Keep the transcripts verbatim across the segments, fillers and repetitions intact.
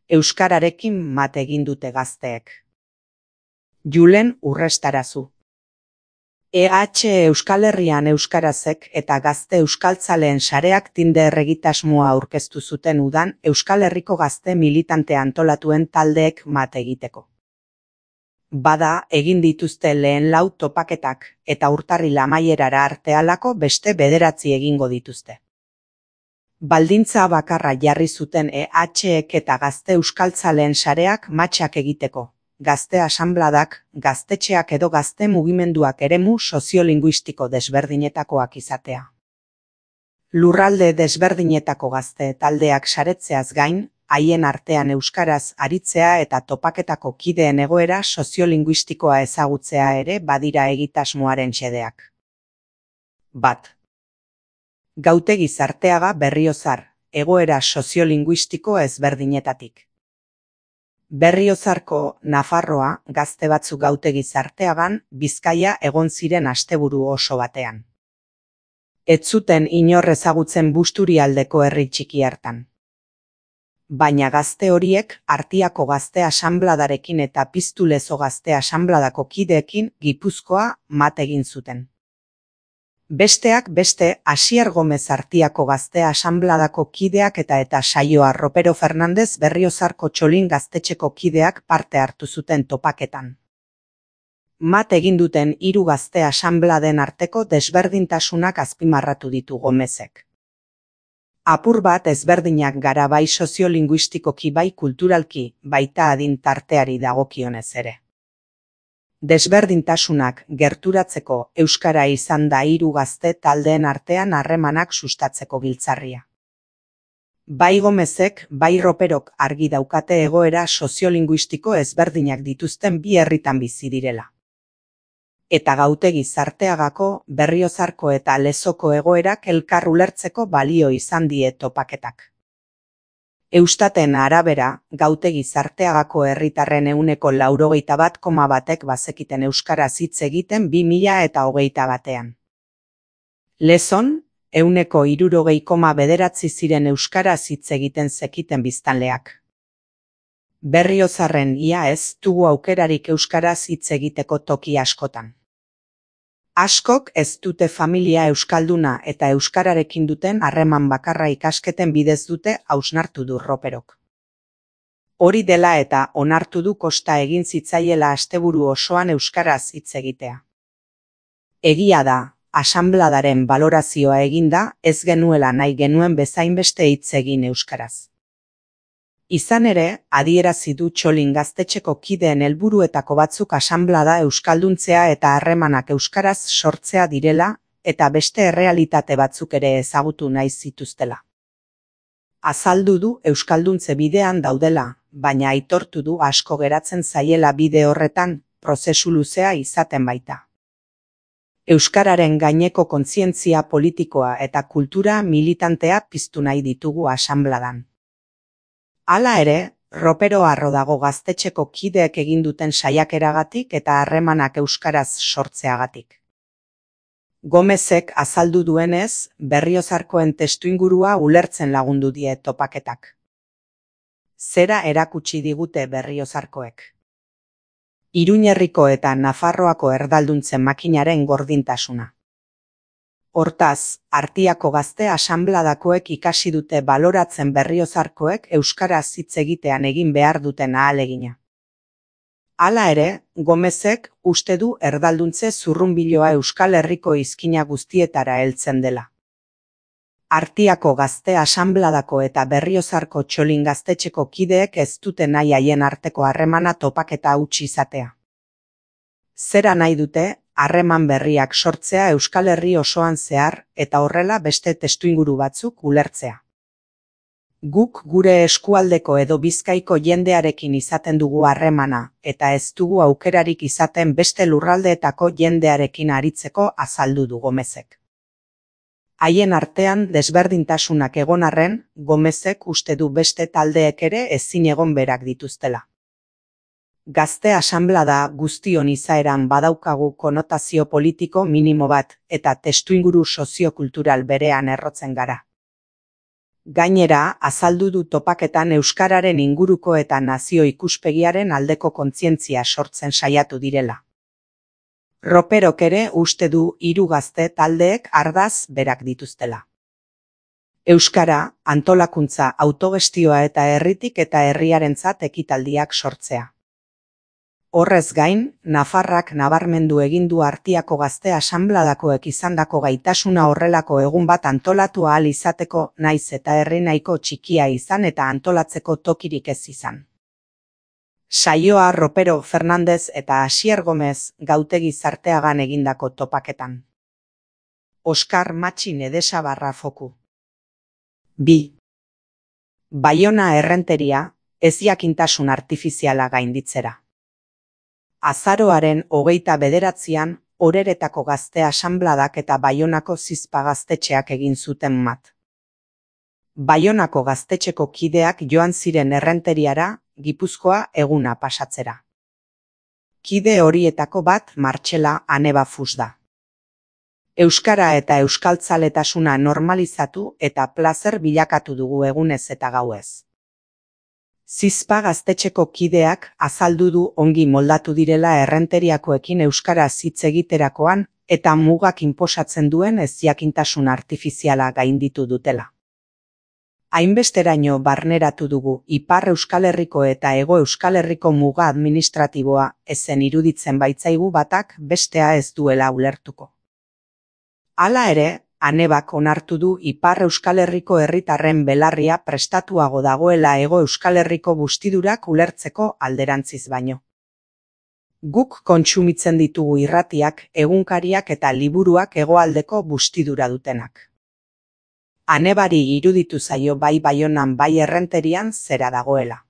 Euskararekin mat egin dute gazteek. Julen Urrestarazu. E H Euskal Herrian euskarazek eta gazte euskaltzaleen sareak Tinder egitasmoa aurkeztu zuten udan Euskal Herriko gazte militante antolatuen taldeek mat egiteko. Bada, egin dituzte lehen lau topaketak eta urtarril amaierara arte halako beste bederatzi egingo dituzte. Baldintza bakarra jarri zuten E H-ek eta gazte euskaltzaleen sareak matxak egiteko. Gazte asanbladak, gaztetxeak edo gazte mugimenduak eremu soziolinguistiko desberdinetakoak izatea. Lurralde desberdinetako gazte taldeak saretzeaz gain, haien artean euskaraz aritzea eta topaketako kideen egoera soziolinguistikoa ezagutzea ere badira egitasmoaren xedeak. Bat. Gautegi Zarteaga Berriozar, egoera soziolinguistiko ezberdinetatik. Berriozarko Nafarroa gazte batzuk Gautegi Zarteagan Bizkaia egon ziren asteburu oso batean. Ez zuten inor ezagutzen Busturialdeko herri txiki hartan. Baina gazte horiek Artiako gazte asanbladarekin eta Piztulezo gazte asanbladako kideekin Gipuzkoa mat egin zuten. Besteak beste Asier Gomez Artiako gazte asanbladako kideak eta eta Saioa Ropero Fernandez Berriozarko Txolin gaztetxeko kideak parte hartu zuten topaketan. Mat egin duten hiru gazte asanbladen arteko desberdintasunak azpimarratu ditu Gomezek. Apur bat ezberdinak gara bai soziolinguistikoki bai kulturalki, baita adin tarteari dagokionez ere. Desberdintasunak gerturatzeko euskara izan da hiru gazte taldeen artean harremanak sustatzeko giltzarria. Bai Gomezek, bai Roperok argi daukate egoera soziolinguistiko ezberdinak dituzten bi herritan bizi direla. Eta Gautegi Zarteagako, Berriozarko eta Lezoko egoerak elkar ulertzeko balio izan die topaketak. Eustaten arabera, Gautegi Zarteagako herritarren ehuneko laurogeita bat koma batek bazekiten euskaraz hitz egiten bi mila eta hogeita batean. Lezon, ehuneko hirurogei koma bederatzi ziren euskaraz hitz egiten zekiten biztanleak. Berriozarren ia ez dugu aukerarik euskaraz hitz egiteko toki askotan. Askok ez dute familia euskalduna eta euskararekin duten harreman bakarra ikasketen bidez dute hausnartu du Roperok. Hori dela eta onartu du kosta egin zitzaiela asteburu osoan euskaraz hitz egitea. Egia da, asanbladaren balorazioa eginda ez genuela nahi genuen bezainbeste hitz egin euskaraz. Izan ere, adierazi du Txolin gaztetxeko kideen helburuetako batzuk asanblada euskalduntzea eta harremanak euskaraz sortzea direla, eta beste errealitate batzuk ere ezagutu nahi zituztela. Azaldu du euskalduntze bidean daudela, baina aitortu du asko geratzen zaiela bide horretan, prozesu luzea izaten baita. Euskararen gaineko kontzientzia politikoa eta kultura militantea piztu nahi ditugu asanbladan. Hala ere, Ropero harro dago gaztetxeko kideek egin duten saiakeragatik eta harremanak euskaraz sortzeagatik. Gomezek azaldu duenez, Berriozarkoen testuingurua ulertzen lagundu die topaketak. Zera erakutsi digute Berriozarkoek. Iruñerriko eta Nafarroako erdalduntzen makinaren gordintasuna. Hortaz, Artiako gazte asanbladakoek ikasi dute baloratzen Berriozarkoek euskaraz hitz egitean egin behar duten ahalegina. Hala ere, Gomezek uste du erdalduntze zurrunbiloa Euskal Herriko izkina guztietara heltzen dela. Artiako gazte asanbladako eta Berriozarko Txolin gaztetxeko kideek ez dute nahi haien arteko harremana topaketa huts izatea. Zera nahi dute, harreman berriak sortzea Euskal Herri osoan zehar eta horrela beste testuinguru batzuk ulertzea. Guk gure eskualdeko edo Bizkaiko jendearekin izaten dugu harremana eta ez dugu aukerarik izaten beste lurraldeetako jendearekin aritzeko azaldu du Gomezek. Haien artean desberdintasunak egon arren, Gomezek uste du beste taldeek ere ezin egon berak dituztela. Gazte asanblada guztion izaeran badaukagu konotazio politiko minimo bat eta testuinguru soziokultural berean errotzen gara. Gainera, azaldu du topaketan euskararen inguruko eta nazio ikuspegiaren aldeko kontzientzia sortzen saiatu direla. Roperok ere uste du hiru gazte taldeek ardatz berak dituztela. Euskara, antolakuntza, autogestioa eta herritik eta herriarentzat ekitaldiak sortzea. Horrez gain, Nafarrak nabarmendu egin du Artiako Gazte Asanbladakoek izandako gaitasuna horrelako egun bat antolatu ahal izateko, naiz eta herri nahiko txikia izan eta antolatzeko tokirik ez izan. Saioa Ropero Fernandez eta Asier Gomez Gautegi Zarteagan egindako topaketan. Oskar Matxin Edesabarra foku. bi. Baiona errenteria, ezjakintasun artifiziala gainditzera. Azaroaren hogeita bederatzian, Oreretako Gazte Asanbladak eta Baionako Zizpa gaztetxeak egin zuten mat. Baionako gaztetxeko kideak joan ziren errenteriara, Gipuzkoa eguna pasatzera. Kide horietako bat Martxela Anebafus da. Euskara eta euskaltzaletasuna normalizatu eta plazer bilakatu dugu egunez eta gauez. Zizpa gaztetxeko kideak azaldu du ongi moldatu direla errenteriakoekin euskaraz hitz egiterakoan eta mugak inposatzen duen ezjakintasun artifiziala gainditu dutela. Hainbesteraino barneratu dugu Ipar Euskal Herriko eta Hego Euskal Herriko muga administratiboa ezen iruditzen baitzaigu batak bestea ez duela ulertuko. Hala ere, Anebak onartu du Ipar Euskal Herriko herritarren belarria prestatuago dagoela Hego Euskal Herriko bustidurak ulertzeko alderantziz baino. Guk kontsumitzen ditugu irratiak, egunkariak eta liburuak hegoaldeko bustidura dutenak. Anebari iruditu zaio bai Baionan bai errenterian zera dagoela.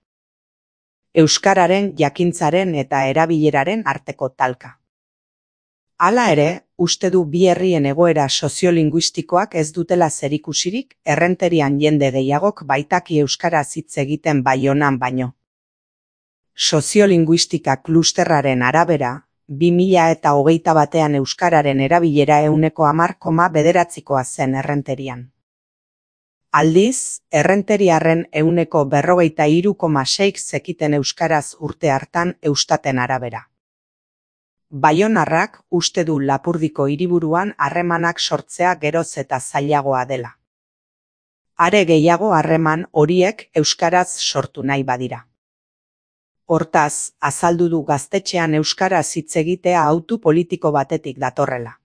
Euskararen, jakintzaren eta erabileraren arteko talka. Hala ere, uste du bi herrien egoera soziolinguistikoak ez dutela zerikusirik errenterian jende gehiagok baitaki euskaraz hitz egiten Baionan baino. Soziolinguistika klusterraren arabera, bi mila eta hogeita batean euskararen erabilera ehuneko hamar koma bederatzikoa zen errenterian. Aldiz, errenteriarren ehuneko berrogeita hiru koma seik zekiten euskaraz urte hartan Eustaten arabera. Baionarrak uste du Lapurdiko hiriburuan harremanak sortzea geroz eta zailagoa dela. Are gehiago harreman horiek euskaraz sortu nahi badira. Hortaz, azaldu du gaztetxean euskaraz hitz egitea hautu politiko batetik datorrela.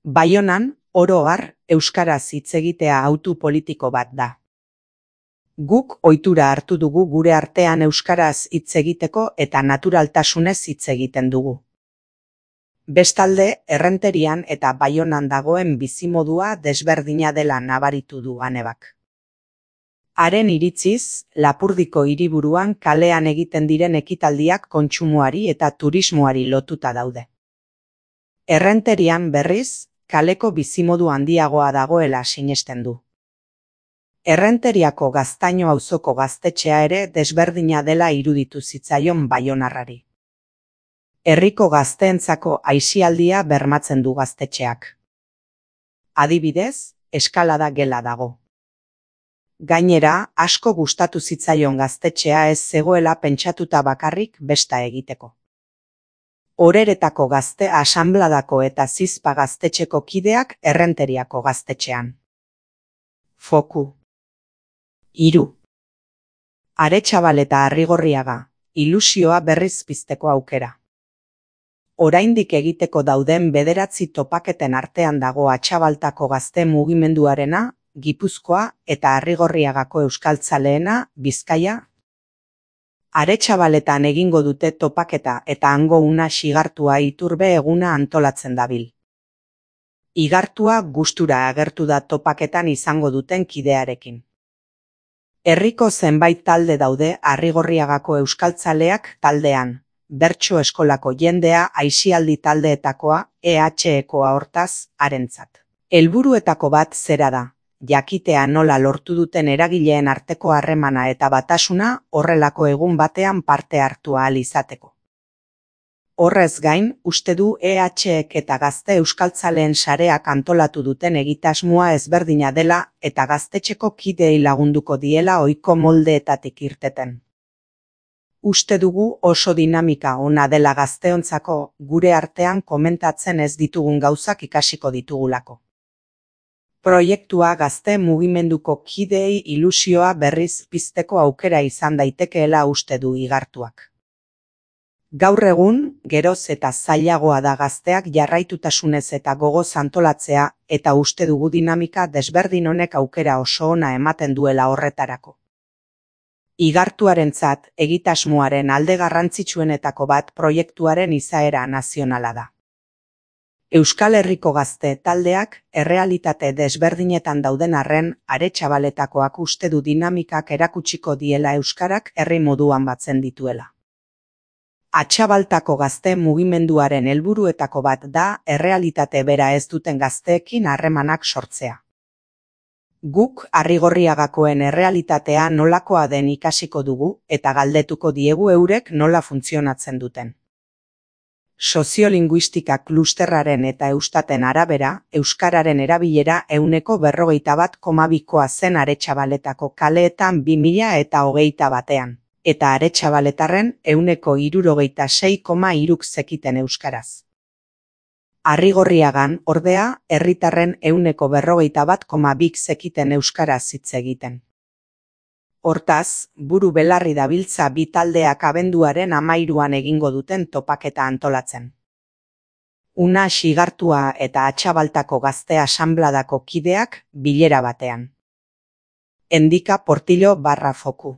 Baionan, oro har, euskaraz hitz egitea hautu politiko bat da. Guk ohitura hartu dugu gure artean euskaraz hitz egiteko eta naturaltasunez hitz egiten dugu. Bestalde, errenterian eta Baionan dagoen bizimodua desberdina dela nabaritu du Anebak. Haren iritziz, Lapurdiko hiriburuan kalean egiten diren ekitaldiak kontsumoari eta turismoari lotuta daude. Errenterian berriz, kaleko bizimodu handiagoa dagoela sinesten du. Errenteriako Gaztaino auzoko gaztetxea ere desberdina dela iruditu zitzaion baionarrari. Herriko gazteentzako aisialdia bermatzen du gaztetxeak. Adibidez, eskalada gela dago. Gainera, asko gustatu zitzaion gaztetxea ez zegoela pentsatuta bakarrik besta egiteko. Oreretako Gazte Asanbladako eta Zizpa gaztetxeko kideak errenteriako gaztetxean. Foku. Hiru. Aretxabal eta Arrigorriaga, ilusioa berriz pizteko aukera. Oraindik egiteko dauden bederatzi topaketen artean dago Atxabaltako gazte mugimenduarena, Gipuzkoa eta Arrigorriagako euskaltzaleena, Bizkaia. Aretxabaletan egingo dute topaketa eta hango una Igartua Iturbe eguna antolatzen dabil. Igartua gustura agertu da topaketan izango duten kidearekin. Herriko zenbait talde daude Arrigorriagako euskaltzaleak taldean, bertso eskolako jendea aisialdi taldeetakoa, E H ekoa hortaz, harentzat. Helburuetako bat zera da, jakitea nola lortu duten eragileen arteko harremana eta batasuna horrelako egun batean parte hartu ahal izateko. Horrez gain, uste du E H ek eta Gazte Euskaltzaleen sareak antolatu duten egitasmoa ezberdina dela eta gaztetxeko kideei lagunduko diela ohiko moldeetatik irteten. Uste dugu oso dinamika ona dela gazteontzako, gure artean komentatzen ez ditugun gauzak ikasiko ditugulako. Proiektua gazte mugimenduko kideei ilusioa berriz pizteko aukera izan daitekeela uste du Igartuak. Gaur egun, geroz eta zailagoa da gazteak jarraitutasunez eta gogoz antolatzea eta uste dugu dinamika desberdin honek aukera oso ona ematen duela horretarako. Igartuarentzat egitasmoaren alde garrantzitsuenetako bat proiektuaren izaera nazionala da. Euskal Herriko gazte taldeak errealitate desberdinetan dauden arren Aretxabaletakoak uste du dinamikak erakutsiko diela euskarak herri moduan batzen dituela. Atxabaltako gazte mugimenduaren helburuetako bat da errealitate bera ez duten gazteekin harremanak sortzea. Guk Arrigorriagakoen errealitatea nolakoa den ikasiko dugu eta galdetuko diegu eurek nola funtzionatzen duten. Soziolinguistika klusterraren eta Eustaten arabera, euskararen erabilera ehuneko berrogeita bat koma bikoa zen Aretxabaletako kaleetan bi mila eta hogeita batean, eta aretxabaletarren ehuneko hirurogeita sei koma hiruk zekiten euskaraz. Arrigorriagan, ordea, herritarren ehuneko berrogeita bat koma bik zekiten euskaraz hitz egiten. Hortaz, buru belarri dabiltza bi taldeak abenduaren hamairuan egingo duten topaketa antolatzen. Unax Igartua eta Atxabaltako Gazte Asanbladako kideak bilera batean. Endika Portillo barra foku.